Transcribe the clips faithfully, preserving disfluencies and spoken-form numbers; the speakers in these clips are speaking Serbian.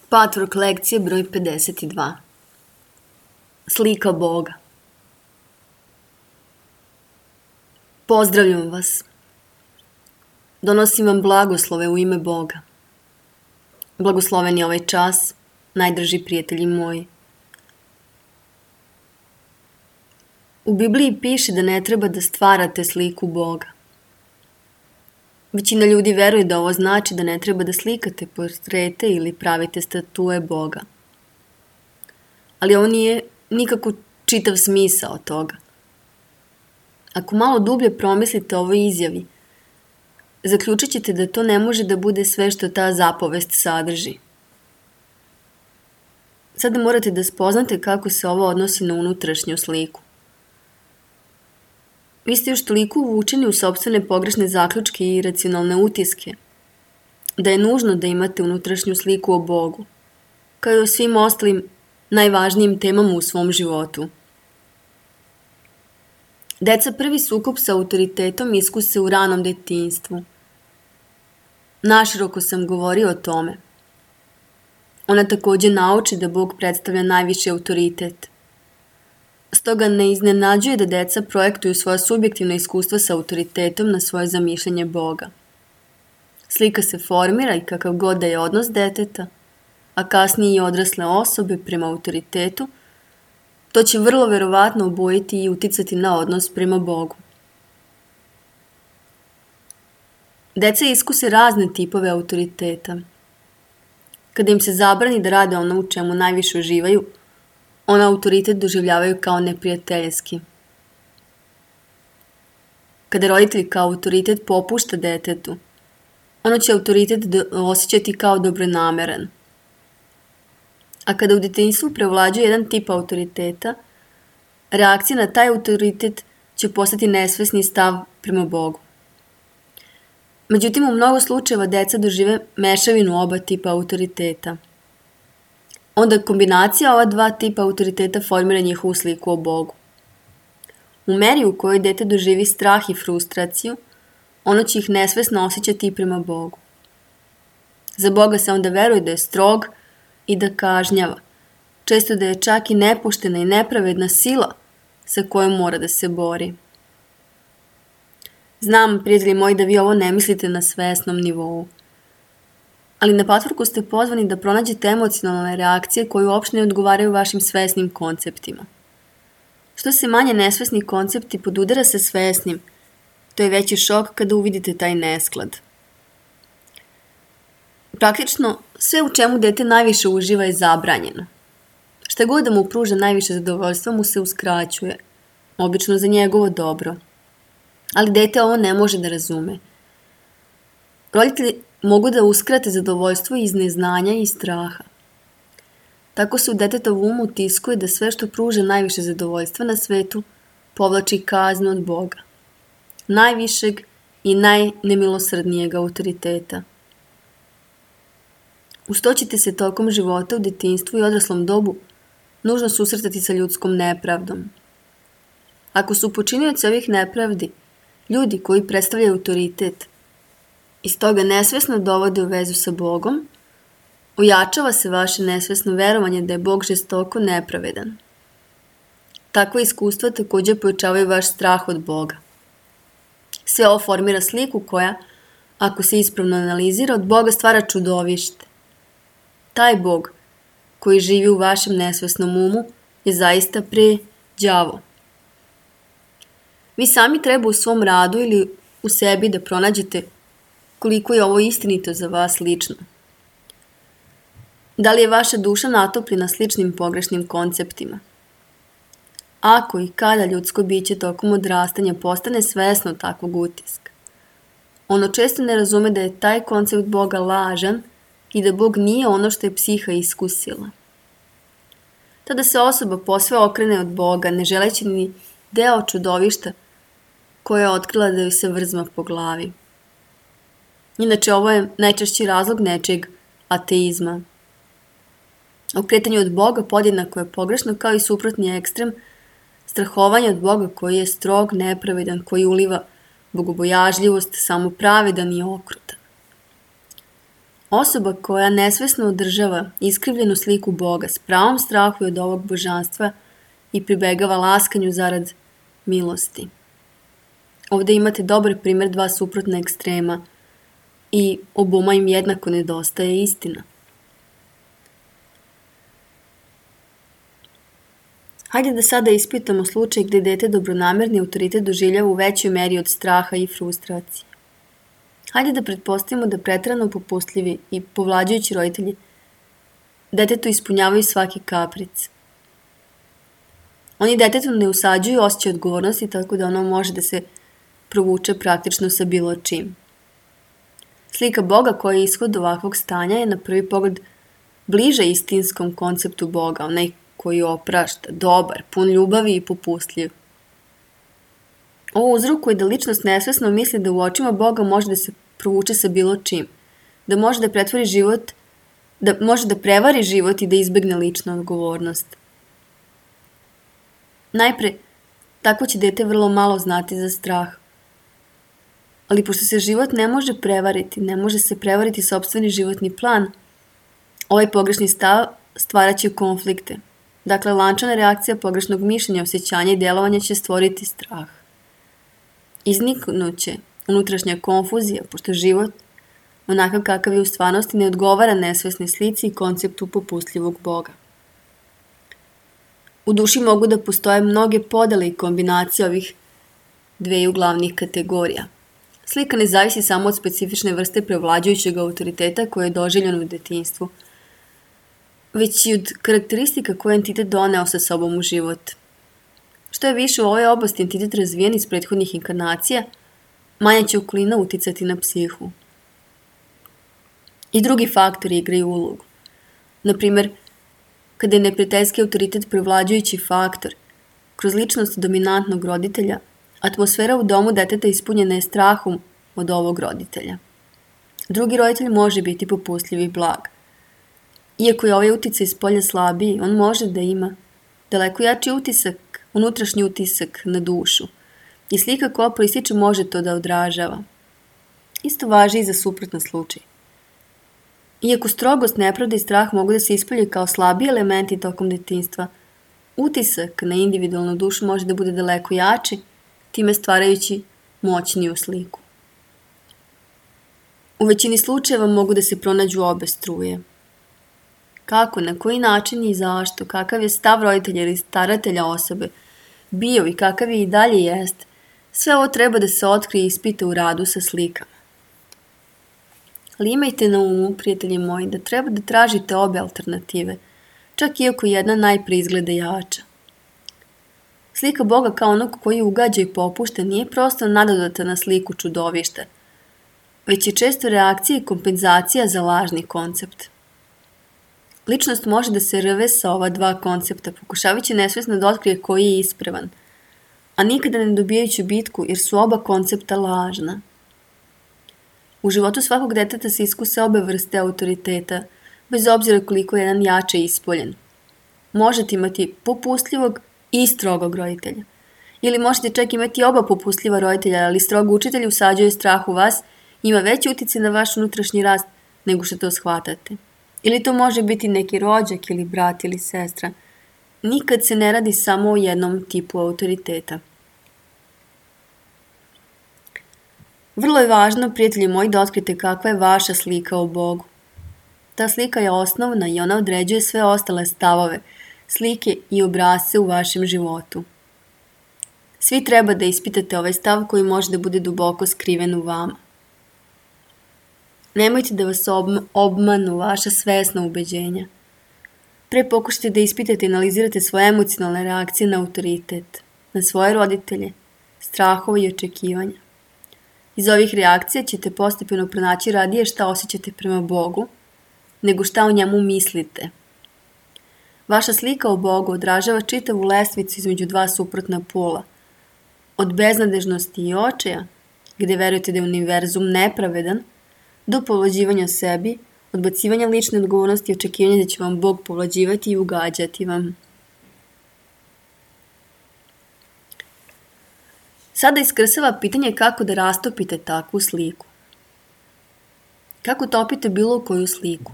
Patvork lekcije broj pedeset dva. Slika Boga. Pozdravljam vas. Donosim vam blagoslove u ime Boga. Blagosloven je ovaj čas, najdrži prijatelji moji. U Bibliji piše da ne treba da stvarate sliku Boga. Većina ljudi veruje da ovo znači da ne treba da slikate portrete ili pravite statue Boga. Ali ovo nije nikako čitav smisao toga. Ako malo dublje promislite o ovoj izjavi, zaključit ćete da to ne može da bude sve što ta zapovest sadrži. Sada morate da spoznate kako se ovo odnosi na unutrašnju sliku. Vi ste još toliko uvučeni u sopstvene pogrešne zaključke i iracionalne utiske, da je nužno da imate unutrašnju sliku o Bogu, kao i o svim ostalim najvažnijim temama u svom životu. Deca prvi sukob sa autoritetom iskuse u ranom detinjstvu. Naširoko sam govorio o tome. Ona takođe nauči da Bog predstavlja najviši autoritet. Stoga ne iznenađuje da deca projektuju svoja subjektivna iskustva sa autoritetom na svoje zamišljanje Boga. Slika se formira i kakav god da je odnos deteta, a kasnije i odrasle osobe prema autoritetu, to će vrlo verovatno obojiti i uticati na odnos prema Bogu. Deca iskuse razne tipove autoriteta. Kada im se zabrani da rade ono u čemu najviše uživaju, ona autoritet doživljavaju kao neprijateljski. Kada roditelj kao autoritet popušta detetu, ono će autoritet osjećati kao dobronameran. A kada u detinjstvu prevlađuje jedan tip autoriteta, reakcija na taj autoritet će postati nesvesni stav prema Bogu. Međutim, u mnogo slučajeva deca dožive mešavinu oba tipa autoriteta. Onda kombinacija ova dva tipa autoriteta formira njihovu sliku o Bogu. U meri u kojoj dete doživi strah i frustraciju, ono će ih nesvesno osjećati i prema Bogu. Za Boga se onda veruje da je strog i da kažnjava, često da je čak i nepoštena i nepravedna sila sa kojom mora da se bori. Znam, prijatelji moji, da vi ovo ne mislite na svesnom nivou. Ali na patvorku ste pozvani da pronađete emocionalne reakcije koje uopšte ne odgovaraju vašim svesnim konceptima. Što se manje nesvesni koncepti podudara sa svesnim, to je veći šok kada uvidite taj nesklad. Praktično, sve u čemu dete najviše uživa je zabranjeno. Šta god da mu pruža najviše zadovoljstva mu se uskraćuje, obično za njegovo dobro. Ali dete ovo ne može da razume. Roditelji mogu da uskrate zadovoljstvo iz neznanja i straha. Tako se u detetovu umu utiskuje da sve što pruža najviše zadovoljstva na svetu povlači kaznu od Boga, najvišeg i najnemilosrdnijeg autoriteta. Uz to ćete se tokom života u detinjstvu i odraslom dobu nužno susretati sa ljudskom nepravdom. Ako su počinioci ovih nepravdi ljudi koji predstavljaju autoritet, i stoga nesvesno dovode u vezu sa Bogom, ojačava se vaše nesvesno verovanje da je Bog žestoko nepravedan. Takva iskustva takođe pojačavaju vaš strah od Boga. Sve ovo formira sliku koja, ako se ispravno analizira, od Boga stvara čudovište. Taj Bog koji živi u vašem nesvesnom umu je zaista pre đavo. Vi sami treba u svom radu ili u sebi da pronađete koliko je ovo istinito za vas lično. Da li je vaša duša natopljena sličnim pogrešnim konceptima? Ako i kada ljudsko biće tokom odrastanja postane svesno takvog utiska, ono često ne razume da je taj koncept Boga lažan i da Bog nije ono što je psiha iskusila. Tada se osoba posve okrene od Boga, ne želeći ni deo čudovišta koja je otkrila da joj se vrzma po glavi. Inače, ovo je najčešći razlog nečeg ateizma. Okretanje od Boga podjednako je pogrešno kao i suprotni ekstrem strahovanja od Boga koji je strog, nepravedan, koji uliva bogobojažljivost, samopravedan i okrutan. Osoba koja nesvesno održava iskrivljenu sliku Boga s pravom strahuje od ovog božanstva i pribegava laskanju zarad milosti. Ovdje imate dobar primjer dva suprotna ekstrema i oboma im jednako nedostaje istina. Hajde da sada ispitamo slučaj gdje dete dobronamerni autoritet doživljava u većoj meri od straha i frustracije. Hajde da pretpostavimo da preterano popustljivi i povlađujući roditelji detetu ispunjavaju svaki kapric. Oni detetu ne usađuju osjećaj odgovornosti tako da ono može da se provuče praktično sa bilo čim. Slika Boga koja je ishod ovakvog stanja je na prvi pogled bliža istinskom konceptu Boga, onaj koji oprašta, dobar, pun ljubavi i popustljiv. Ovo uzrokuje da ličnost nesvesno misli da u očima Boga može da se provuče sa bilo čim, da može da pretvori život, da može da prevari život i da izbegne ličnu odgovornost. Najpre, tako će dete vrlo malo znati za strah. Ali pošto se život ne može prevariti, ne može se prevariti sopstveni životni plan, ovaj pogrešni stav stvaraće konflikte. Dakle, lančana reakcija pogrešnog mišljenja, osjećanja i djelovanja će stvoriti strah. Izniknuće unutrašnja konfuzija, pošto život, onakav kakav je u stvarnosti, ne odgovara nesvesnoj slici i konceptu popustljivog Boga. U duši mogu da postoje mnoge podele i kombinacije ovih dveju glavnih kategorija. Slika ne zavisi samo od specifične vrste prevlađujućeg autoriteta koje je doživljeno u detinjstvu, već i od karakteristika koje entitet doneo sa sobom u život. Što je više u ovoj oblasti entitet razvijen iz prethodnih inkarnacija, manja će okolina uticati na psihu. I drugi faktori igraju ulogu. Naprimjer, kada je neprijateljski autoritet prevlađujući faktor, kroz ličnost dominantnog roditelja, atmosfera u domu deteta ispunjena je strahom od ovog roditelja. Drugi roditelj može biti popustljiv i blag. Iako je ovaj uticaj iz polja slabiji, on može da ima daleko jači utisak, unutrašnji utisak na dušu. I slika koja proističe može to da odražava. Isto važi i za suprotan slučaj. Iako strogost, nepravda i strah mogu da se ispolje kao slabiji elementi tokom detinjstva, utisak na individualnu dušu može da bude daleko jači, time stvarajući moćniju sliku. U većini slučajeva mogu da se pronađu obe struje. Kako, na koji način i zašto, kakav je stav roditelja ili staratelja osobe bio i kakav je i dalje jest, sve ovo treba da se otkrije i ispita u radu sa slikama. Ali imajte na umu, prijatelji moji, da treba da tražite obe alternative, čak iako jedna najpre izgleda jača. Slika Boga kao onog koji ugađa i popušta nije prosto nadodata na sliku čudovišta, već je često reakcija i kompenzacija za lažni koncept. Ličnost može da se rve sa ova dva koncepta, pokušavajući nesvesno da otkrije koji je ispravan, a nikada ne dobijajući bitku jer su oba koncepta lažna. U životu svakog deteta se iskuse obe vrste autoriteta, bez obzira koliko je jedan jače ispoljen. Možete imati popustljivog i strogog roditelja. Ili možete čak imati oba popustljiva roditelja, ali strog učitelj usađuje strah u vas i ima veći utjecaj na vaš unutrašnji rast nego što to shvatate. Ili to može biti neki rođak ili brat ili sestra. Nikad se ne radi samo o jednom tipu autoriteta. Vrlo je važno, prijatelji moji, da otkrite kakva je vaša slika o Bogu. Ta slika je osnovna i ona određuje sve ostale stavove, slike i obrasce u vašem životu. Svi treba da ispitate ovaj stav koji može da bude duboko skriven u vama. Nemojte da vas obmanu vaša svesna ubeđenja. Pre pokušajte da ispitate i analizirate svoje emocionalne reakcije na autoritet, na svoje roditelje, strahove i očekivanja. Iz ovih reakcija ćete postepeno pronaći radije šta osjećate prema Bogu, nego šta o njemu mislite. Vaša slika o Bogu odražava čitavu lestvicu između dva suprotna pola. Od beznadežnosti i očaja, gdje verujete da je univerzum nepravedan, do povlađivanja sebi, odbacivanja lične odgovornosti i očekivanja da će vam Bog povlađivati i ugađati vam. Sada iskrsava pitanje kako da rastopite takvu sliku. Kako topite bilo koju sliku?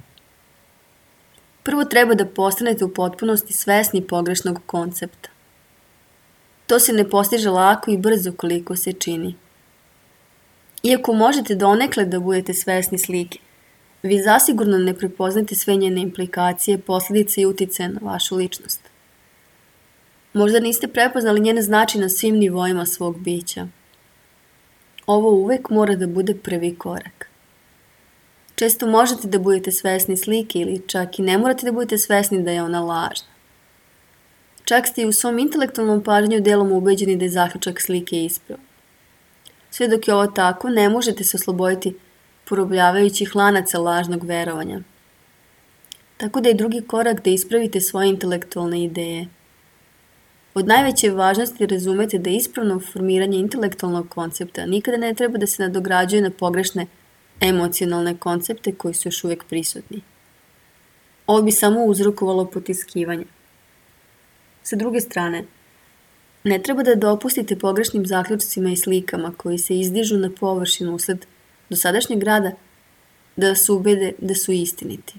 Prvo treba da postanete u potpunosti svesni pogrešnog koncepta. To se ne postiže lako i brzo koliko se čini. Iako možete donekle da budete svesni slike, vi zasigurno ne prepoznate sve njene implikacije, posljedice i uticaje na vašu ličnost. Možda niste prepoznali njene značaj na svim nivoima svog bića. Ovo uvek mora da bude prvi korak. Često možete da budete svesni slike ili čak i ne morate da budete svesni da je ona lažna. Čak ste i u svom intelektualnom pažnju delom ubeđeni da je zaključak slike ispravan. Sve dok je ovo tako, ne možete se osloboditi porobljavajućih lanaca lažnog verovanja. Tako da je drugi korak da ispravite svoje intelektualne ideje. Od najveće važnosti razumete da ispravno formiranje intelektualnog koncepta nikada ne treba da se nadograđuje na pogrešne emocionalne koncepte koji su još uvijek prisutni. Ovo bi samo uzrokovalo potiskivanje. Sa druge strane, ne treba da dopustite pogrešnim zaključcima i slikama koji se izdižu na površinu usled dosadašnjeg rada da vas ubede da su istiniti.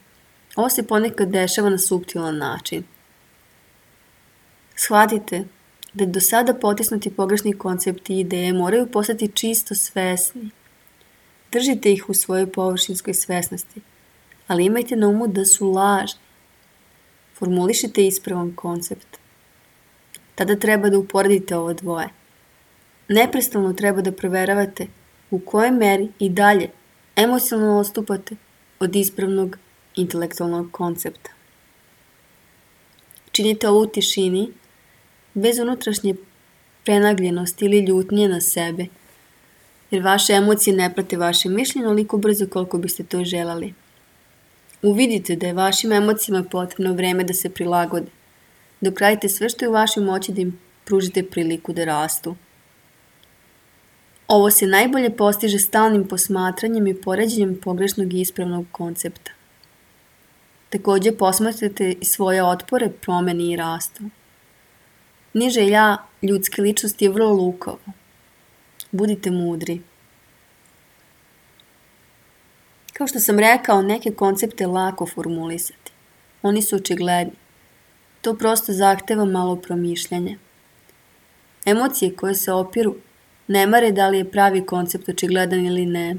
Ovo se ponekad dešava na suptilan način. Shvatite da do sada potisnuti pogrešni koncepti i ideje moraju postati čisto svesni. Držite ih u svojoj površinskoj svesnosti, ali imajte na umu da su lažni. Formulišite ispravan koncept. Tada treba da uporedite ovo dvoje. Neprestano treba da proveravate u kojoj meri i dalje emocionalno odstupate od ispravnog intelektualnog koncepta. Činite ovo u tišini, bez unutrašnje prenagljenosti ili ljutnje na sebe, jer vaše emocije ne prate vaše mišljenje onoliko brzo koliko biste to želeli. Uvidite da je vašim emocijama potrebno vreme da se prilagode, dok radite sve što je u vašoj moći da im pružite priliku da rastu. Ovo se najbolje postiže stalnim posmatranjem i poređenjem pogrešnog i ispravnog koncepta. Također posmatrate i svoje otpore, promeni i rastu. Niže ja ljudske ličnosti je vrlo lukavo. Budite mudri. Kao što sam rekao, neke koncepte je lako formulisati. Oni su očigledni. To prosto zahteva malo promišljanja. Emocije koje se opiru ne mare da li je pravi koncept očigledan ili ne.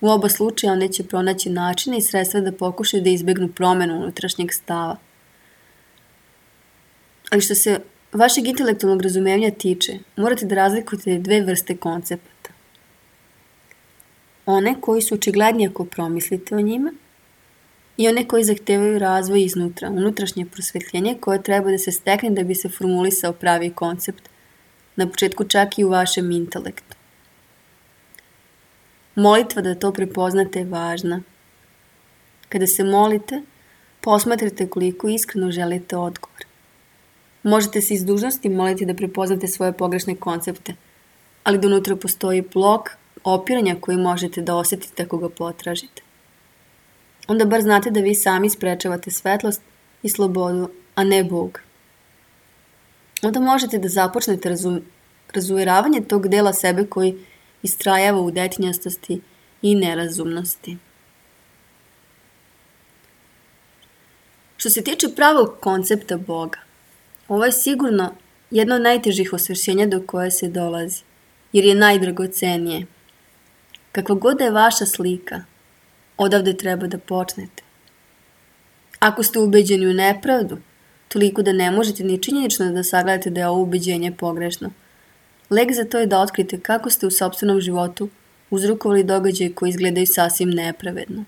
U oba slučaja one će pronaći načine i sredstva da pokušaju da izbegnu promjenu unutrašnjeg stava. Ali što se vašeg intelektualnog razumevanja tiče, morate da razlikujete dve vrste koncepata. One koji su očigledni ako promislite o njima i one koji zahtevaju razvoj iznutra, unutrašnje prosvetljenje koje treba da se stekne da bi se formulisao pravi koncept, na početku čak i u vašem intelektu. Molitva da to prepoznate je važna. Kada se molite, posmatrajte koliko iskreno želite odgovor. Možete se iz dužnosti moliti da prepoznate svoje pogrešne koncepte, ali da unutra postoji blok opiranja koji možete da osjetite ako ga potražite. Onda bar znate da vi sami sprečavate svetlost i slobodu, a ne Bog. Onda možete da započnete razum, razuveravanje tog dela sebe koji istrajava u detinjastosti i nerazumnosti. Što se tiče pravog koncepta Boga, ovo je sigurno jedno od najtežih osvešćenja do koje se dolazi, jer je najdragocenije. Kakva god da je vaša slika, odavde treba da počnete. Ako ste ubeđeni u nepravdu, toliko da ne možete ni činjenično da sagledate da je ovo ubeđenje pogrešno, lek za to je da otkrite kako ste u sopstvenom životu uzrokovali događaje koji izgledaju sasvim nepravedno.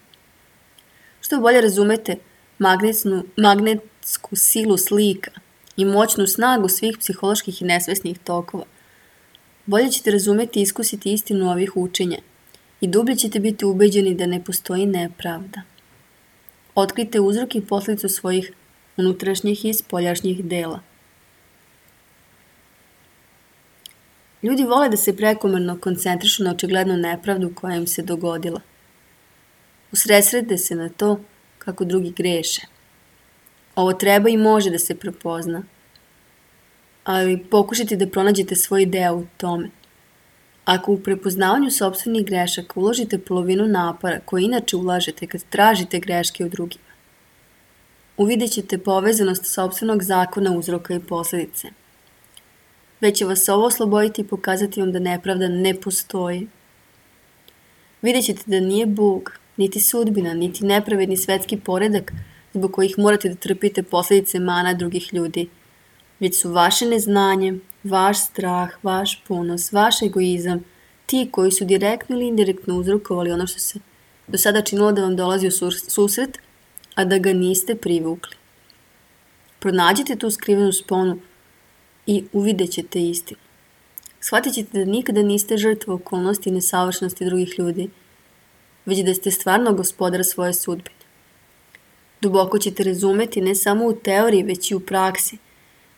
Što bolje razumete magnetsnu, magnetsku silu slika i moćnu snagu svih psiholoških i nesvesnih tokova, bolje ćete razumeti i iskusiti istinu ovih učenja i dublje ćete biti ubeđeni da ne postoji nepravda. Otkrite uzrok i posljedicu svojih unutrašnjih i spoljašnjih dela. Ljudi vole da se prekomerno koncentrišu na očiglednu nepravdu koja im se dogodila. Usredsrede se na to kako drugi greše. Ovo treba i može da se prepozna, ali pokušajte da pronađete svoj deo u tome. Ako u prepoznavanju sopstvenih grešaka uložite polovinu napora koje inače ulažete kad tražite greške u drugima, uvidjet ćete povezanost sopstvenog zakona uzroka i posledice. Već će vas ovo osloboditi i pokazati vam da nepravda ne postoji. Vidjet ćete da nije Bog, niti sudbina, niti nepravedni svetski poredak zbog kojih morate da trpite posledice mana drugih ljudi, već su vaše neznanje, vaš strah, vaš ponos, vaš egoizam, ti koji su direktno ili indirektno uzrokovali ono što se do sada činilo da vam dolazi u susret, a da ga niste privukli. Pronađite tu skrivenu sponu i uvidjet ćete istinu. Shvatit ćete da nikada niste žrtva okolnosti i nesavršenosti drugih ljudi, već da ste stvarno gospodar svoje sudbine. Duboko ćete razumeti ne samo u teoriji, već i u praksi,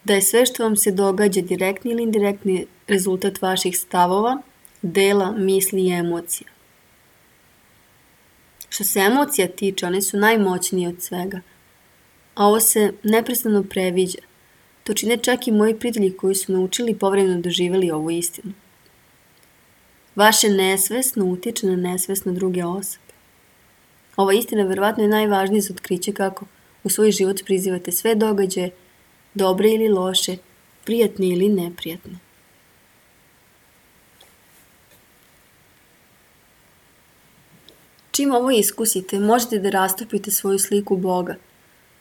da je sve što vam se događa direktni ili indirektni rezultat vaših stavova, dela, misli i emocija. Što se emocija tiče, one su najmoćnije od svega, a ovo se neprestano previđa. To čine čak i moji prijatelji koji su naučili i povremeno doživjeli ovu istinu. Vaše nesvesno utiče na nesvesno druge osobe. Ova istina verovatno je najvažnija za otkriće kako u svoj život prizivate sve događaje, dobre ili loše, prijatne ili neprijatne. Čim ovo iskusite, možete da rastopite svoju sliku Boga.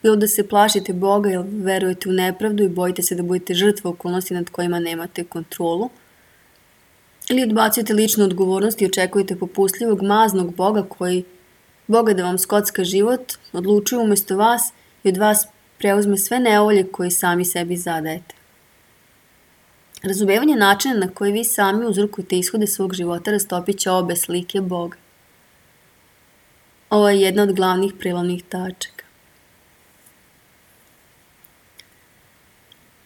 Bilo da se plašite Boga jer verujete u nepravdu i bojite se da budete žrtva okolnosti nad kojima nemate kontrolu, ili odbacujete ličnu odgovornost i očekujete popustljivog, maznog Boga koji, Boga da vam skocka život, odlučuje umjesto vas i od vas preuzme sve nevolje koje sami sebi zadajete. Razumevanje načina na koji vi sami uzrokujete ishode svog života rastopit će obe slike Boga. Ovo je jedna od glavnih prelomnih tačaka.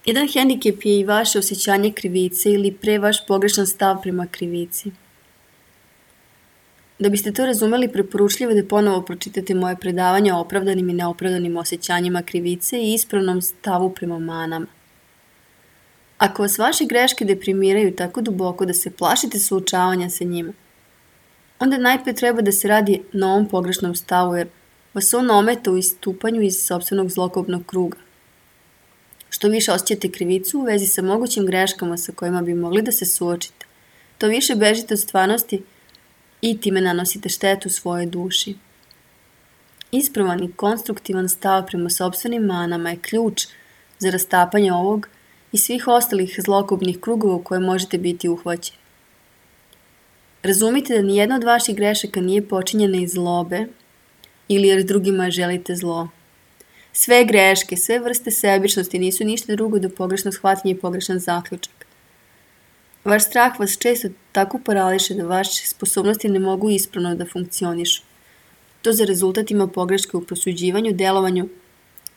Jedan hendikep je i vaše osjećanje krivice ili pre vaš pogrešan stav prema krivici. Da biste to razumeli, preporučljivo da ponovo pročitate moje predavanje o opravdanim i neopravdanim osjećanjima krivice i ispravnom stavu prema manama. Ako vas vaše greške deprimiraju tako duboko da se plašite suočavanja sa njima, onda najpre treba da se radi na ovom pogrešnom stavu jer vas on ometa u istupanju iz sopstvenog zlokobnog kruga. Što više osjećate krivicu u vezi sa mogućim greškama sa kojima bi mogli da se suočite, to više bežite od stvarnosti i time nanosite štetu svojoj duši. Ispravan i konstruktivan stav prema sopstvenim manama je ključ za rastapanje ovog i svih ostalih zlokobnih krugova u koje možete biti uhvaćeni. Razumite da nijedna od vaših grešaka nije počinjena iz zlobe ili jer drugima želite zlo. Sve greške, sve vrste sebičnosti nisu ništa drugo do pogrešnog shvatanja i pogrešan zaključak. Vaš strah vas često tako parališe da vaše sposobnosti ne mogu ispravno da funkcionišu. To za rezultat ima pogreške u prosuđivanju, delovanju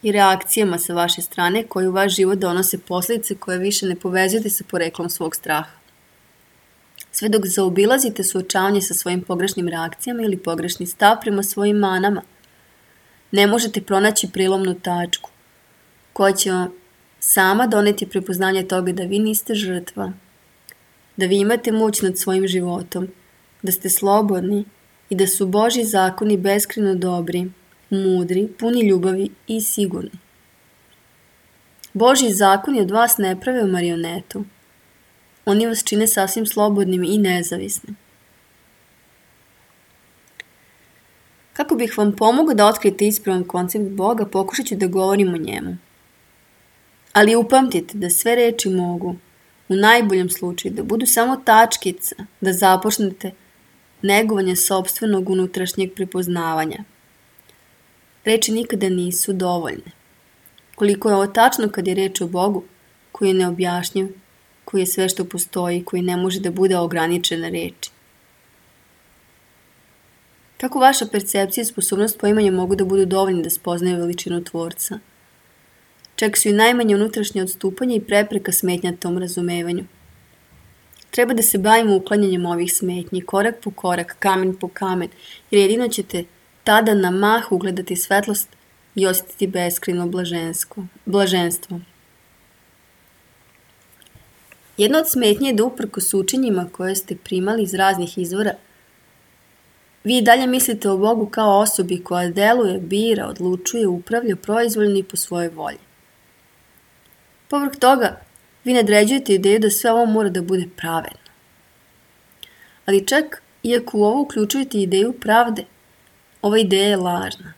i reakcijama sa vaše strane koje u vaš život donose posljedice koje više ne povezujete sa poreklom svog straha. Sve dok zaobilazite suočavanje sa svojim pogrešnim reakcijama ili pogrešni stav prema svojim manama, ne možete pronaći prilomnu tačku koja će vam sama doneti prepoznanje toga da vi niste žrtva, da vi imate moć nad svojim životom, da ste slobodni i da su Božji zakoni beskrajno dobri, mudri, puni ljubavi i sigurni. Božji zakoni od vas ne prave marionetu. Oni vas čine sasvim slobodnim i nezavisnim. Kako bih vam pomogao da otkrijete ispravan koncept Boga, pokušat ću da govorim o njemu. Ali upamtite da sve reči mogu, u najboljem slučaju, da budu samo tačkica, da započnete negovanje sopstvenog unutrašnjeg prepoznavanja. Reči nikada nisu dovoljne. Koliko je ovo tačno kad je reč o Bogu, koji je neobjašnjiv, koji je sve što postoji, koji ne može da bude ograničena reči. Kako vaša percepcija i sposobnost poimanja mogu da budu dovoljni da spoznaju veličinu Tvorca? Čak su i najmanje unutrašnje odstupanja i prepreka smetnja tom razumevanju. Treba da se bavimo uklanjanjem ovih smetnji, korak po korak, kamen po kamen, jer jedino ćete tada na mah ugledati svetlost i osjetiti beskrajno blaženstvo. Jedna od smetnje je da uprkos učenjima koje ste primali iz raznih izvora, vi i dalje mislite o Bogu kao osobi koja deluje, bira, odlučuje, upravlja proizvoljno i po svojoj volji. Povrh toga, vi nadređujete ideju da sve ovo mora da bude pravedno. Ali čak, iako u ovo uključujete ideju pravde, ova ideja je lažna.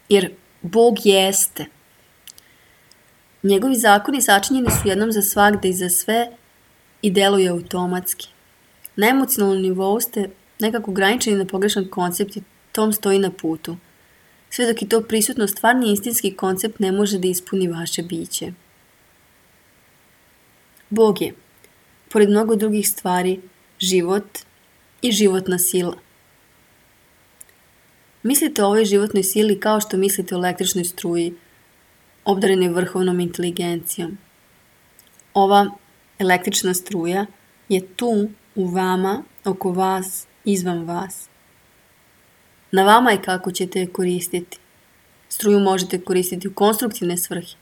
Jer Bog jeste. Njegovi zakoni sačinjeni su jednom za svagde i za sve i deluju automatski. Na emocionalnom nivou ste nekako ograničeni na pogrešan koncept i tom stoji na putu. Sve dok je to prisutno, stvarni istinski koncept ne može da ispuni vaše biće. Bog je, pored mnogo drugih stvari, život i životna sila. Mislite o ovoj životnoj sili kao što mislite o električnoj struji, obdarenoj vrhovnom inteligencijom. Ova električna struja je tu, u vama, oko vas, izvan vas. Na vama je kako ćete je koristiti. Struju možete koristiti u konstruktivne svrhe,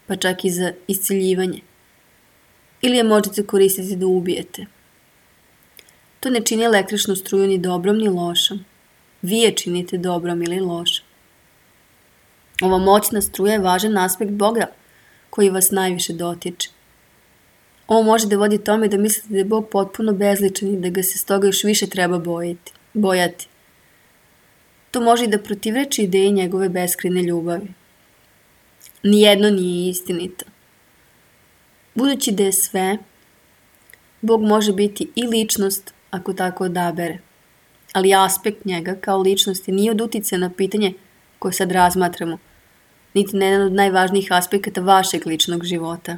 pa čak i za isciljivanje. Ili je možete koristiti da ubijete. To ne čini električnu struju ni dobrom ni lošom. Vi je činite dobrom ili lošom. Ova moćna struja je važan aspekt Boga koji vas najviše dotiče. Ovo može da vodi tome da mislite da je Bog potpuno bezličan i da ga se stoga još više treba bojiti, bojati. To može i da protivreči ideji njegove beskrajne ljubavi. Nijedno nije istinito. Budući da je sve, Bog može biti i ličnost ako tako odabere. Ali aspekt njega kao ličnosti nije od uticaja na pitanje koje sad razmatramo, niti na jedan od najvažnijih aspekata vašeg ličnog života.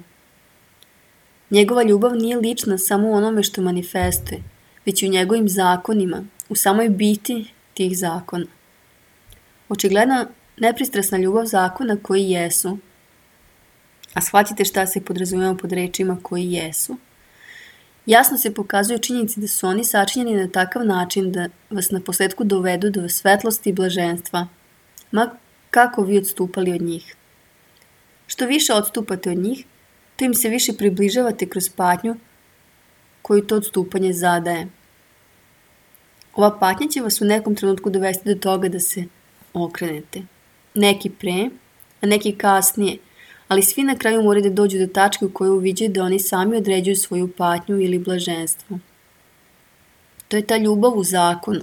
Njegova ljubav nije lična samo u onome što manifestuje, već i u njegovim zakonima, u samoj biti tih zakona. Očigledno nepristrasna ljubav zakona koji jesu, a shvatite šta se podrazumijeva pod rečima koji jesu, jasno se pokazuju činjenici da su oni sačinjeni na takav način da vas na posledku dovedu do svetlosti i blaženstva, ma kako vi odstupali od njih. Što više odstupate od njih, to im se više približavate kroz patnju koju to odstupanje zadaje. Ova patnja će vas u nekom trenutku dovesti do toga da se okrenete. Neki pre, a neki kasnije, ali svi na kraju moraju da dođu do tačke u kojoj uviđaju da oni sami određuju svoju patnju ili blaženstvo. To je ta ljubav u zakonu.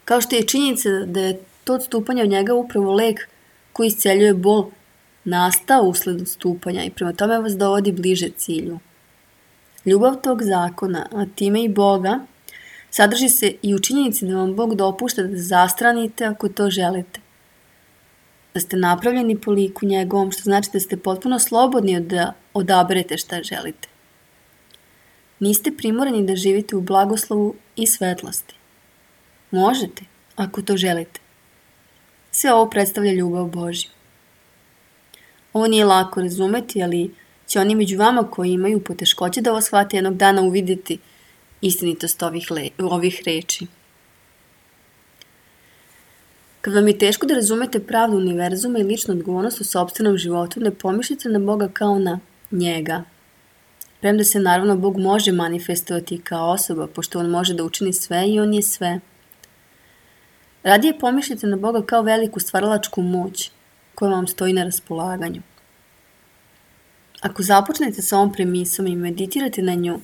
Kao što je činjenica da je to odstupanje od njega upravo lek koji isceljuje bol nastao usled odstupanja i prema tome vas dovodi bliže cilju. Ljubav tog zakona, a time i Boga, sadrži se i u činjenici da vam Bog dopušta da zastranite ako to želite. Da ste napravljeni po liku njegovom, što znači da ste potpuno slobodni da odaberete šta želite. Niste primorani da živite u blagoslovu i svetlosti. Možete, ako to želite. Sve ovo predstavlja ljubav Božju. Ovo nije lako razumeti, ali će oni među vama koji imaju poteškoće da ovo shvate jednog dana uvidjeti istinitost ovih, le, ovih reči. Kad vam je teško da razumete pravdu univerzuma i ličnu odgovornost u sopstvenom životu, ne pomišljate na Boga kao na njega. Premda se naravno Bog može manifestovati kao osoba, pošto on može da učini sve i on je sve. Radije pomišljate na Boga kao veliku stvaralačku moć koja vam stoji na raspolaganju. Ako započnete sa ovom premisom i meditirate na nju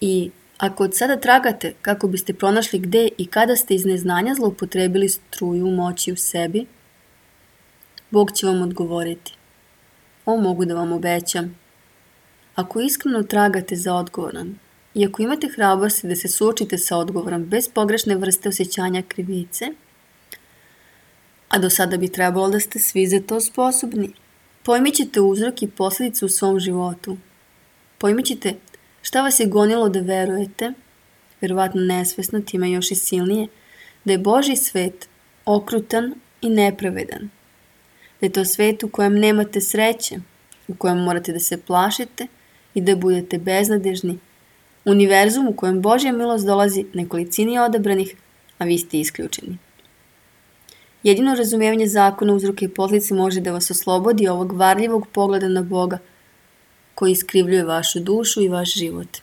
i ako od sada tragate kako biste pronašli gde i kada ste iz neznanja zloupotrebili struju moći u sebi, Bog će vam odgovoriti. Ovo mogu da vam obećam. Ako iskreno tragate za odgovorom i ako imate hrabrosti da se suočite sa odgovorom bez pogrešne vrste osjećanja krivice, a do sada bi trebalo da ste svi za to sposobni, pojmit ćete uzrok i posljedice u svom životu. Pojmit ćete šta vas je gonilo da verujete, verovatno nesvesno, time još i silnije, da je Božji svet okrutan i nepravedan. Da je to svet u kojem nemate sreće, u kojem morate da se plašite i da budete beznadežni, univerzum u kojem Božja milost dolazi nekolicini odabranih, a vi ste isključeni. Jedino razumijevanje zakona uzroka i posljedice može da vas oslobodi ovog varljivog pogleda na Boga, koji iskrivljuje vašu dušu i vaš život.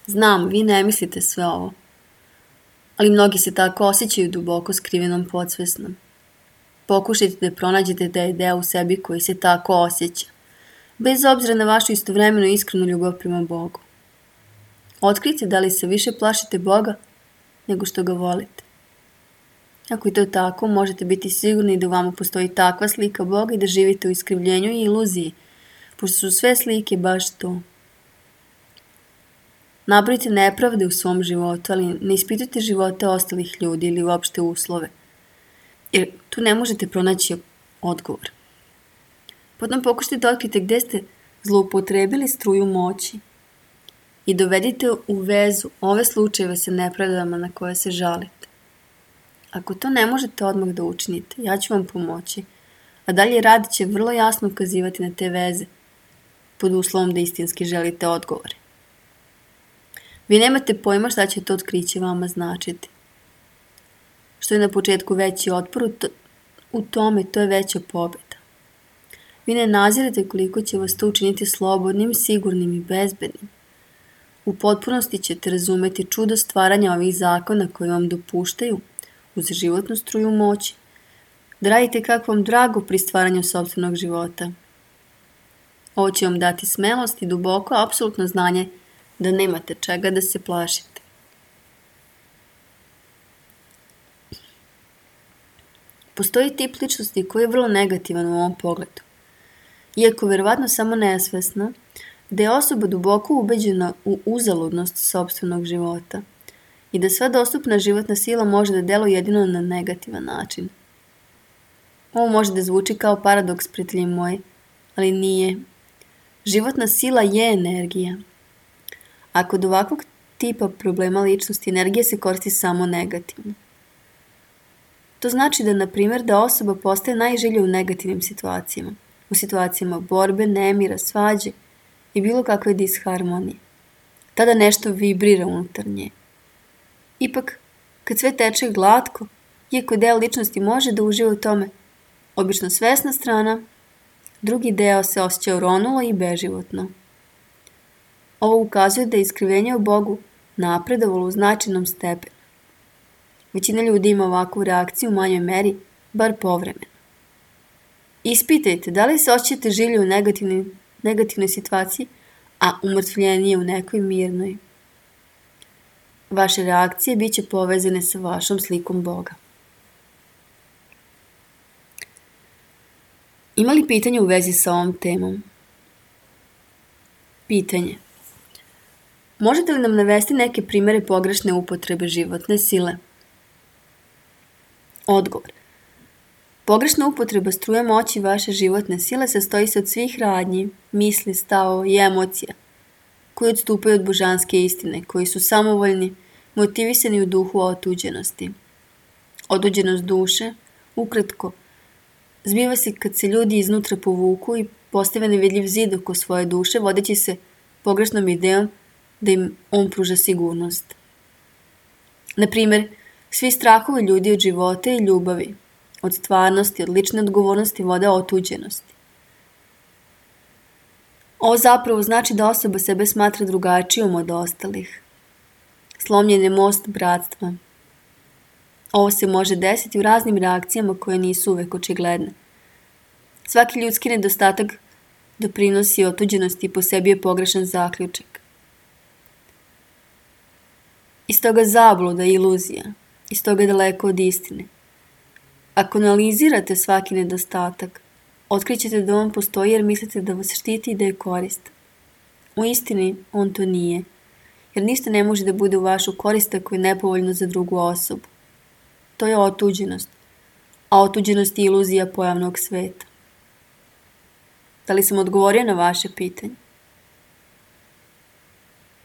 Znam, vi ne mislite sve ovo, ali mnogi se tako osjećaju duboko skrivenom podsvesnom. Pokušajte da pronađete da je deo u sebi koji se tako osjeća, bez obzira na vašu istovremeno iskrenu ljubav prema Bogu. Otkrijte da li se više plašite Boga nego što ga volite. Ako je to tako, možete biti sigurni da u vama postoji takva slika Boga i da živite u iskrivljenju i iluziji, pošto su sve slike baš to. Nabrojite nepravde u svom životu, ali ne ispitujte živote ostalih ljudi ili uopšte uslove, jer tu ne možete pronaći odgovor. Potom pokušajte da otkrite gde ste zloupotrebili struju moći i dovedite u vezu ove slučajeve sa nepravdama na koje se žalite. Ako to ne možete odmah da učinite, ja ću vam pomoći, a dalje rad će vrlo jasno ukazivati na te veze, pod uslovom da istinski želite odgovore. Vi nemate pojma šta će to otkriće vama značiti. Što je na početku veći otpor, u tome to je veća pobjeda. Vi ne nazirate koliko će vas to učiniti slobodnim, sigurnim i bezbednim. U potpunosti ćete razumeti čudo stvaranja ovih zakona koji vam dopuštaju, uz životnu struju moći, da radite kako vam drago pri stvaranju sopstvenog života. Ovo će vam dati smelost i duboko, apsolutno znanje da nemate čega da se plašite. Postoji tip ličnosti koji je vrlo negativan u ovom pogledu. Iako verovatno samo nesvesno, da je osoba duboko ubeđena u uzaludnost sopstvenog života i da sva dostupna životna sila može da deluje jedino na negativan način. Ovo može da zvuči kao paradoks, prijatelji moji, ali nije. Životna sila je energija. A kod ovakvog tipa problema ličnosti energija se koristi samo negativno. To znači da, na primjer, da osoba postaje najželja u negativnim situacijama, u situacijama borbe, nemira, svađe i bilo kakve disharmonije. Tada nešto vibrira unutar nje. Ipak, kad sve teče glatko, iako deo ličnosti može da uživa u tome, obično svesna strana, drugi deo se osjeća uronulo i beživotno. Ovo ukazuje da je iskrivenje u Bogu napredovalo u značajnom stepenu. Većina ljudi ima ovakvu reakciju u manjoj meri, bar povremeno. Ispitajte da li se osjećate žilje u negativnoj, negativnoj situaciji, a umrtvljenije u nekoj mirnoj. Vaše reakcije bit će povezane sa vašom slikom Boga. Ima li pitanja u vezi sa ovom temom? Pitanje. Možete li nam navesti neke primere pogrešne upotrebe životne sile? Odgovor. Pogrešna upotreba struje moći vaše životne sile sastoji se od svih radnji, misli, stavova i emocija koji odstupaju od božanske istine, koji su samovoljni, motivisani u duhu otuđenosti. Otuđenost duše, ukratko, zbiva se kad se ljudi iznutra povuku i postave nevidljiv zid oko svoje duše, vodeći se pogrešnom idejom da im on pruža sigurnost. Na primjer, svi strahovi ljudi od života i ljubavi, od stvarnosti, od lične odgovornosti vode otuđenosti. Ovo zapravo znači da osoba sebe smatra drugačijom od ostalih. Slomljen je most bratstva. Ovo se može desiti u raznim reakcijama koje nisu uvek očigledne. Svaki ljudski nedostatak doprinosi otuđenosti i po sebi je pogrešan zaključak. Iz toga zabluda i iluzija, iz toga je daleko od istine. Ako analizirate svaki nedostatak, otkrićete da on postoji jer mislite da vas štiti i da je korist. U istini on to nije, jer ništa ne može da bude u vašu korist ako je nepovoljno za drugu osobu. To je otuđenost, a otuđenost je iluzija pojavnog sveta. Da li sam odgovorio na vaše pitanje?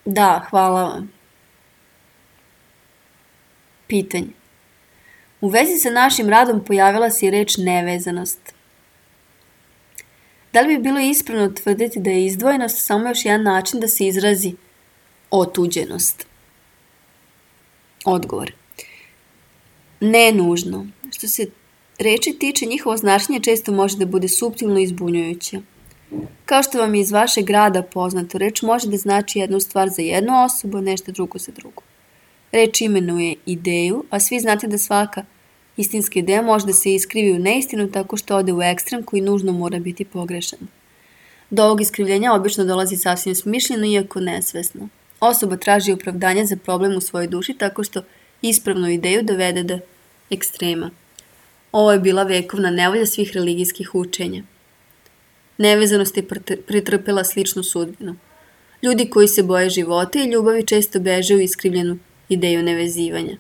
Da, hvala vam. Pitanje. U vezi sa našim radom pojavila se i reč nevezanost. Da li bi bilo ispravno tvrditi da je izdvojenost samo još jedan način da se izrazi otuđenost? Odgovor. Ne nužno. Što se reči tiče, njihovo značenje često može da bude suptilno i zbunjujuće. Kao što vam je iz vašeg rada poznato, reč može da znači jednu stvar za jednu osobu, nešto drugo za drugu. Reč imenuje ideju, a svi znate da svaka istinska ideja može da se iskrivi u neistinu tako što ode u ekstrem koji nužno mora biti pogrešan. Do ovog iskrivljenja obično dolazi sasvim smišljeno, iako nesvesno. Osoba traži opravdanje za problem u svojoj duši tako što ispravnu ideju dovede do ekstrema. Ovo je bila vekovna nevolja svih religijskih učenja. Nevezanost je pretrpela sličnu sudbinu. Ljudi koji se boje života i ljubavi često beže u iskrivljenu ideju nevezivanja.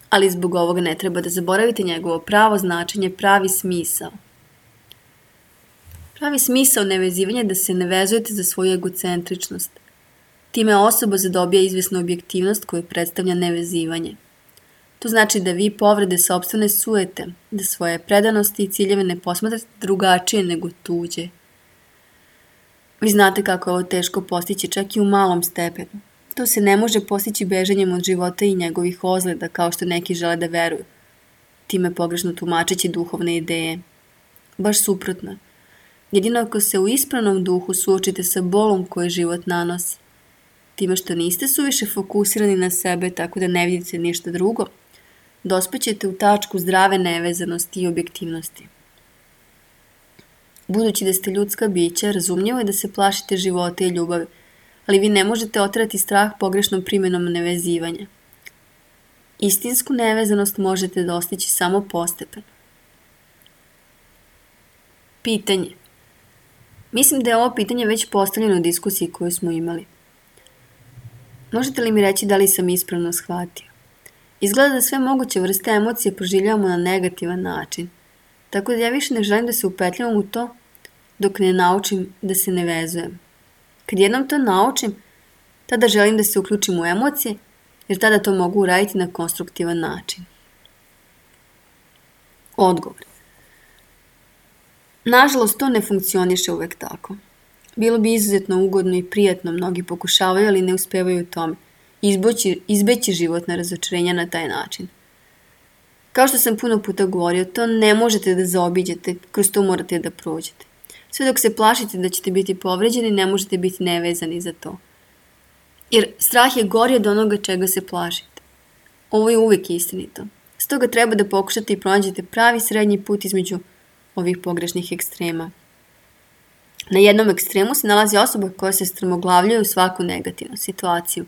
Ali zbog ovoga ne treba da zaboravite njegovo pravo značenje, pravi smisao. Pravi smisao nevezivanja je da se ne vezujete za svoju egocentričnost. Time osoba zadobija izvesnu objektivnost koju predstavlja nevezivanje. To znači da vi povrede sopstvene sujete, da svoje predanosti i ciljeve ne posmatrate drugačije nego tuđe. Vi znate kako je ovo teško postići čak i u malom stepenu. To se ne može postići bežanjem od života i njegovih ozleda, kao što neki žele da veruju, time pogrešno tumačeći duhovne ideje. Baš suprotno. Jedino ako se u ispravnom duhu suočite sa bolom koje život nanosi, time što niste suviše fokusirani na sebe tako da ne vidite ništa drugo, dospećete u tačku zdrave nevezanosti i objektivnosti. Budući da ste ljudska bića, razumljivo je da se plašite života i ljubavi, ali vi ne možete oterati strah pogrešnom primjenom nevezivanja. Istinsku nevezanost možete dostići samo postepeno. Pitanje. Mislim da je ovo pitanje već postavljeno u diskusiji koju smo imali. Možete li mi reći da li sam ispravno shvatio? Izgleda da sve moguće vrste emocije proživljavamo na negativan način, tako da ja više ne želim da se upetljavam u to dok ne naučim da se ne vezujem. Kad jednom to naučim, tada želim da se uključim u emocije, jer tada to mogu uraditi na konstruktivan način. Odgovor. Nažalost, to ne funkcioniše uvek tako. Bilo bi izuzetno ugodno i prijatno, mnogi pokušavaju, ali ne uspevaju u tome. Izbeći, izbeći životna razočarenja na taj način. Kao što sam puno puta govorio, to ne možete da zaobiđete, kroz to morate da prođete. Sve dok se plašite da ćete biti povređeni, ne možete biti nevezani za to. Jer strah je gori od onoga čega se plašite. Ovo je uvijek istinito. Stoga treba da pokušate i pronađete pravi srednji put između ovih pogrešnih ekstrema. Na jednom ekstremu se nalazi osoba koja se strmoglavljuje u svaku negativnu situaciju.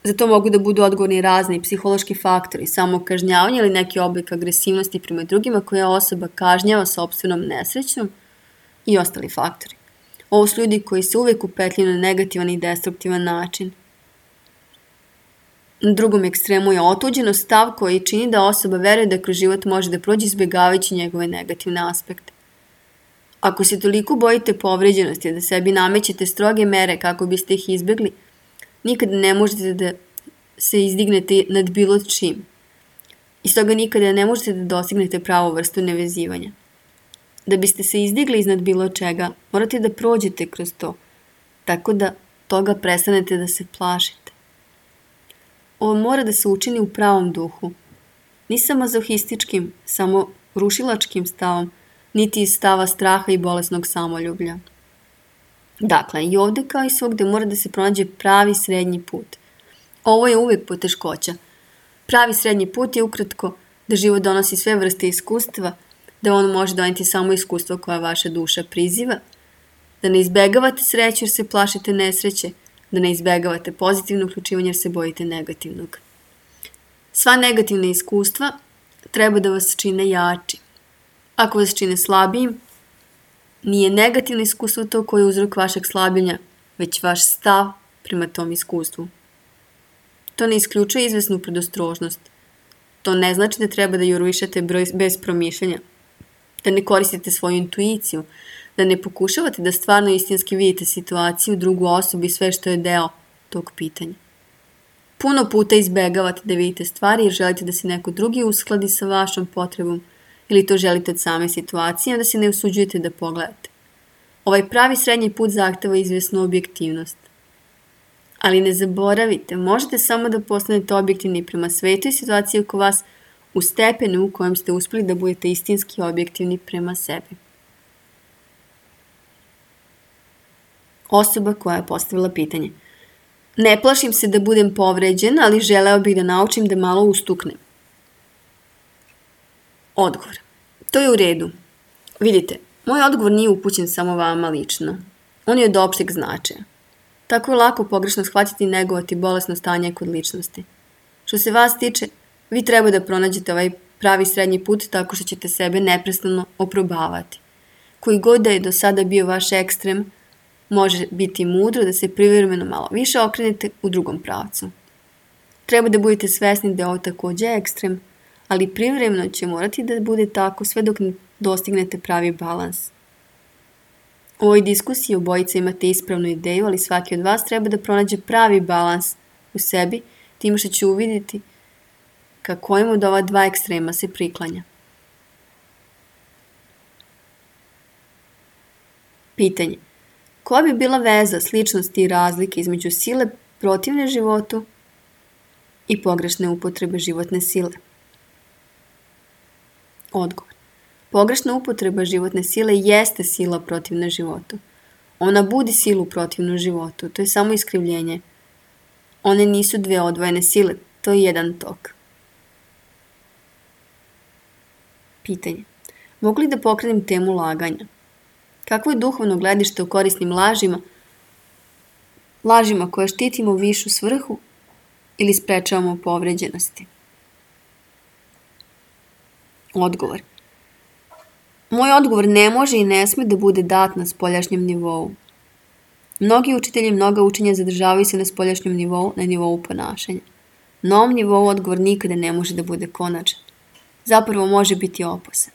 Za to mogu da budu odgovorni razni psihološki faktori, samokažnjavanje ili neki oblik agresivnosti prema drugima koja osoba kažnjava sopstvenom nesrećom i ostali faktori. Ovo su ljudi koji se uvijek upetljuju na negativan i destruktivan način. Na drugom ekstremu je otuđeno stav koji čini da osoba veruje da kroz život može da prođe izbjegavajući njegove negativne aspekte. Ako se toliko bojite povređenosti da sebi namećete stroge mere kako biste ih izbjegli, nikada ne možete da se izdignete nad bilo čim. I stoga nikada ne možete da dostignete pravu vrstu nevezivanja. Da biste se izdigli iznad bilo čega, morate da prođete kroz to, tako da toga prestanete da se plašite. Ovo mora da se učini u pravom duhu, ni mazohističkim, samo rušilačkim stavom, niti iz stava straha i bolesnog samoljublja. Dakle, i ovdje kao i svugde mora da se pronađe pravi srednji put. Ovo je uvijek poteškoća. Pravi srednji put je ukratko da život donosi sve vrste iskustva, da on može doneti samo iskustvo koja vaša duša priziva, da ne izbegavate sreću jer se plašite nesreće, da ne izbegavate pozitivno uključivanje jer se bojite negativnog. Sva negativna iskustva treba da vas čine jači. Ako vas čine slabijim, nije negativno iskustvo to koje je uzrok vašeg slabljenja, već vaš stav prema tom iskustvu. To ne isključuje izvesnu predostrožnost. To ne znači da treba da jurišete bez promišljanja, da ne koristite svoju intuiciju, da ne pokušavate da stvarno istinski vidite situaciju, drugu osobu i sve što je deo tog pitanja. Puno puta izbegavate da vidite stvari jer želite da se neko drugi uskladi sa vašom potrebom ili to želite od same situacije, da se ne usuđujete da pogledate. Ovaj pravi srednji put zahteva izvesnu objektivnost. Ali ne zaboravite, možete samo da postanete objektivni prema svetu i situaciji oko vas u stepenu u kojem ste uspjeli da budete istinski objektivni prema sebi. Osoba koja je postavila pitanje. Ne plašim se da budem povređen, ali želeo bih da naučim da malo ustuknem. Odgovor. To je u redu. Vidite, moj odgovor nije upućen samo vama lično. On je od opšteg značaja. Tako je lako pogrešno shvatiti i negovati bolesno stanje kod ličnosti. Što se vas tiče, vi treba da pronađete ovaj pravi srednji put tako što ćete sebe neprestano oprobavati. Koji god da je do sada bio vaš ekstrem, može biti mudro da se privremeno malo više okrenete u drugom pravcu. Treba da budete svesni da je ovo takođe ekstrem, ali privremeno će morati da bude tako sve dok ne dostignete pravi balans. U ovoj diskusiji obojica imate ispravnu ideju, ali svaki od vas treba da pronađe pravi balans u sebi, tim što će uvidjeti ka kojem od ova dva ekstrema se priklanja. Pitanje. Koja bi bila veza sličnosti i razlike između sile protivne životu i pogrešne upotrebe životne sile? Odgovor. Pogrešna upotreba životne sile jeste sila protivna životu. Ona budi silu protivnu životu, to je samo iskrivljenje. One nisu dve odvojene sile, to je jedan tok. Pitanje. Mogu li da pokrenem temu laganja? Kakvo je duhovno gledište u korisnim lažima, lažima koje štitimo višu svrhu ili sprečavamo povređenosti? Odgovor. Moj odgovor ne može i ne sme da bude dat na spoljašnjem nivou. Mnogi učitelji mnoga učenja zadržavaju se na spoljašnjem nivou, na nivou ponašanja. Na ovom nivou odgovor nikada ne može da bude konačan. Zapravo može biti opasan.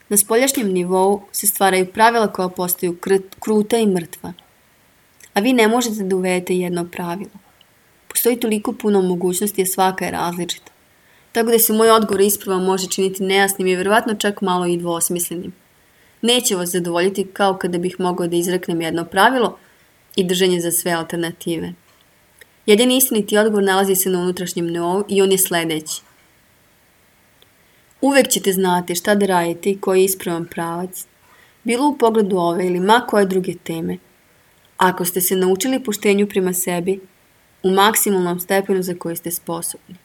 Na spoljašnjem nivou se stvaraju pravila koja postaju kruta i mrtva. A vi ne možete da uvedete jedno pravilo. Postoji toliko puno mogućnosti, a svaka je različita. Tako da se moj odgovor ispravan može činiti nejasnim i verovatno čak malo i dvosmislenim. Neće vas zadovoljiti kao kada bih mogao da izreknem jedno pravilo i držanje za sve alternative. Jedini istiniti odgovor nalazi se na unutrašnjem nivou i on je sledeći. Uvek ćete znati šta da radite i koji je ispravan pravac, bilo u pogledu ove ili ma koje druge teme, ako ste se naučili poštenju prema sebi u maksimalnom stepenu za koji ste sposobni.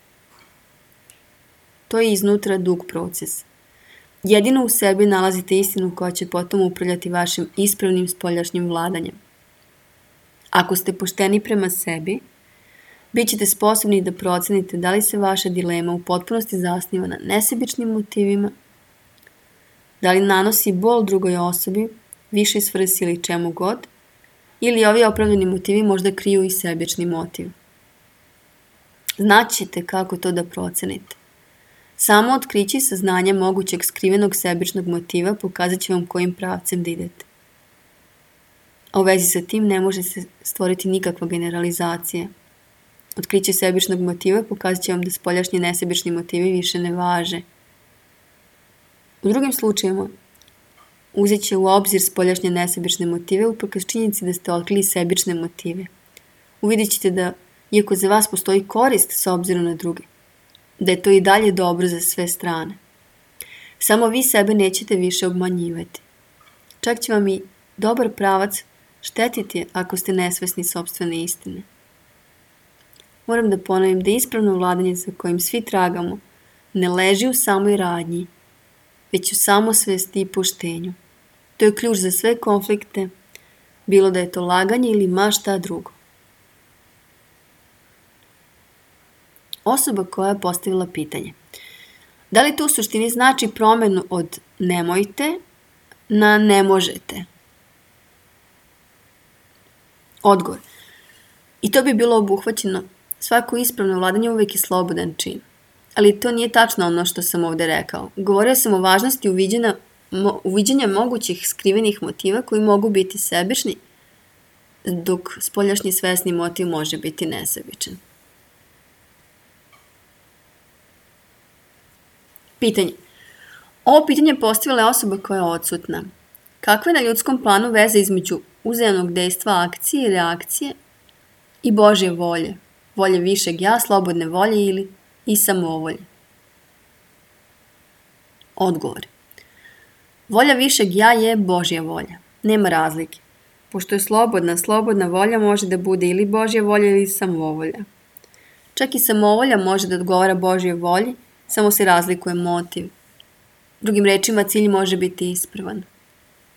To je iznutra dug proces. Jedino u sebi nalazite istinu koja će potom upravljati vašim ispravnim spoljašnjim vladanjem. Ako ste pošteni prema sebi, bit ćete sposobni da procenite da li se vaša dilema u potpunosti zasniva na nesebičnim motivima, da li nanosi bol drugoj osobi, višoj svrsi ili čemu god, ili ovi opravdani motivi možda kriju i sebični motiv. Znaćete kako to da procenite. Samo otkriće i saznanje mogućeg skrivenog sebičnog motiva pokazat će vam kojim pravcem da idete. A u vezi sa tim ne može se stvoriti nikakva generalizacija. Otkriće sebičnog motiva pokazat će vam da spoljašnji nesebični motivi više ne važe. U drugim slučajima, uzet će u obzir spoljašnje nesebične motive uprkos činjenici da ste otkrili sebične motive. Uvidjet ćete da, iako za vas postoji korist s obzirom na druge, da je to i dalje dobro za sve strane. Samo vi sebe nećete više obmanjivati. Čak će vam i dobar pravac štetiti ako ste nesvesni sopstvene istine. Moram da ponovim da ispravno vladanje za kojim svi tragamo ne leži u samoj radnji, već u samosvesti i poštenju. To je ključ za sve konflikte, bilo da je to laganje ili ma šta drugo. Osoba koja je postavila pitanje. Da li to u suštini znači promenu od nemojte na ne možete? Odgovor. I to bi bilo obuhvaćeno. Svako ispravno vladanje uvijek je slobodan čin. Ali to nije tačno ono što sam ovdje rekao. Govorio sam o važnosti uviđenja, mo, uviđenja mogućih skrivenih motiva koji mogu biti sebični, dok spoljašnji svesni motiv može biti nesebičan. Pitanje. Ovo pitanje postavila je osoba koja je odsutna. Kakva je na ljudskom planu veza između uzajamnog dejstva akcije i reakcije i Božje volje, volje višeg ja, slobodne volje ili i samovolje? Odgovor. Volja višeg ja je Božja volja. Nema razlike. Pošto je slobodna, slobodna volja može da bude ili Božja volja ili samovolja. Čak i samovolja može da odgovara Božjoj volji, samo se razlikuje motiv. Drugim rečima, cilj može biti ispravan.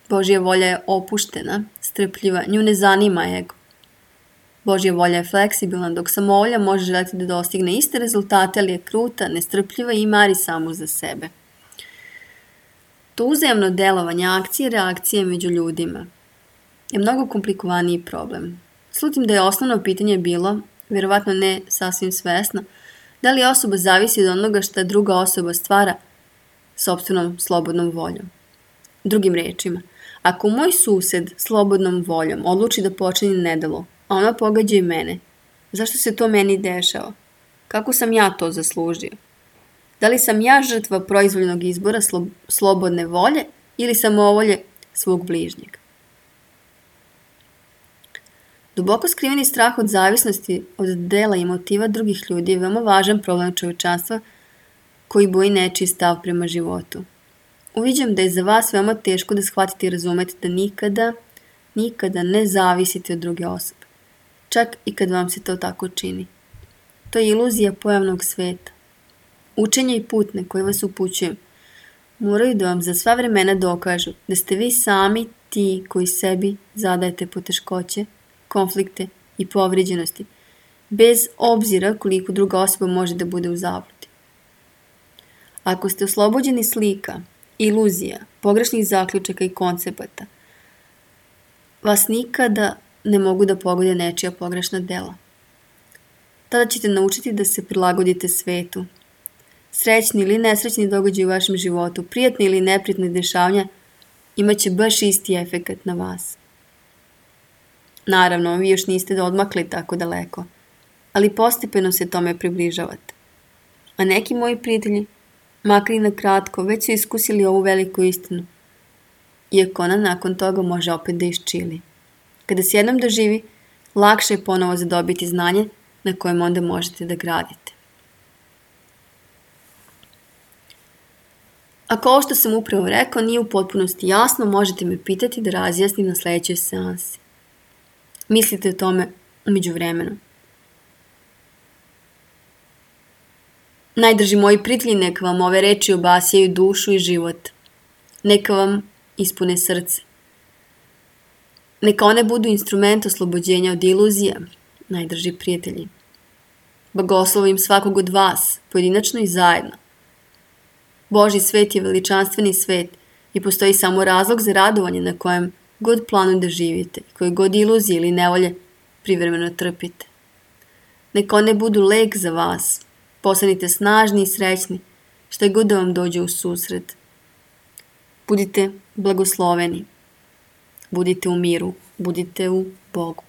Božja volja je opuštena, strpljiva, nju ne zanima ego. Božja volja je fleksibilna, dok samovolja može želeti da dostigne iste rezultate, ali je kruta, nestrpljiva i mari samo za sebe. To uzajamno delovanje akcije i reakcije među ljudima je mnogo komplikovaniji problem. Slutim da je osnovno pitanje bilo, vjerovatno ne sasvim svesno, da li osoba zavisi od onoga što druga osoba stvara sopstvenom slobodnom voljom. Drugim rečima, ako moj sused slobodnom voljom odluči da počini nedelo, a ona pogađa i mene, zašto se to meni dešava? Kako sam ja to zaslužio? Da li sam ja žrtva proizvoljnog izbora slo- slobodne volje ili samovolje svog bližnjeg? Duboko skriveni strah od zavisnosti od dela i motiva drugih ljudi je veoma važan problem čovječanstva koji boji nečiji stav prema životu. Uviđam da je za vas veoma teško da shvatite i razumete da nikada, nikada ne zavisite od druge osobe. Čak i kad vam se to tako čini. To je iluzija pojavnog sveta. Učenje i putne koje vas upućujem moraju da vam za sva vremena dokažu da ste vi sami ti koji sebi zadajete poteškoće, konflikte i povrijeđenosti, bez obzira koliko druga osoba može da bude u zabludi. Ako ste oslobođeni slika, iluzija, pogrešnih zaključaka i koncepata, vas nikada ne mogu da pogode nečija pogrešna dela. Tada ćete naučiti da se prilagodite svetu. Srećni ili nesrećni događaj u vašem životu, prijatni ili neprijatni dešavanja, imat će baš isti efekat na vas. Naravno, vi još niste odmakli tako daleko, ali postepeno se tome približavate. A neki moji prijatelji, makar i na kratko, već su iskusili ovu veliku istinu, iako ona nakon toga može opet da iščili. Kada se jednom doživi, lakše je ponovo zadobiti znanje na kojem onda možete da gradite. Ako ovo što sam upravo rekao nije u potpunosti jasno, možete me pitati da razjasnim na sledećoj seansi. Mislite o tome umeđu vremenu. Najdrži moji prijatelji, neka vam ove reči obasjaju dušu i život. Neka vam ispune srce. Neka one budu instrument oslobođenja od iluzija, najdrži prijatelji. Blagoslovim svakog od vas, pojedinačno i zajedno. Božji svet je veličanstveni svet i postoji samo razlog za radovanje na kojem god planu da živite i koje god iluzije ili nevolje privremeno trpite. Neka one budu lek za vas. Postanite snažni i srećni, što je god da vam dođe u susret. Budite blagosloveni. Budite u miru. Budite u Bogu.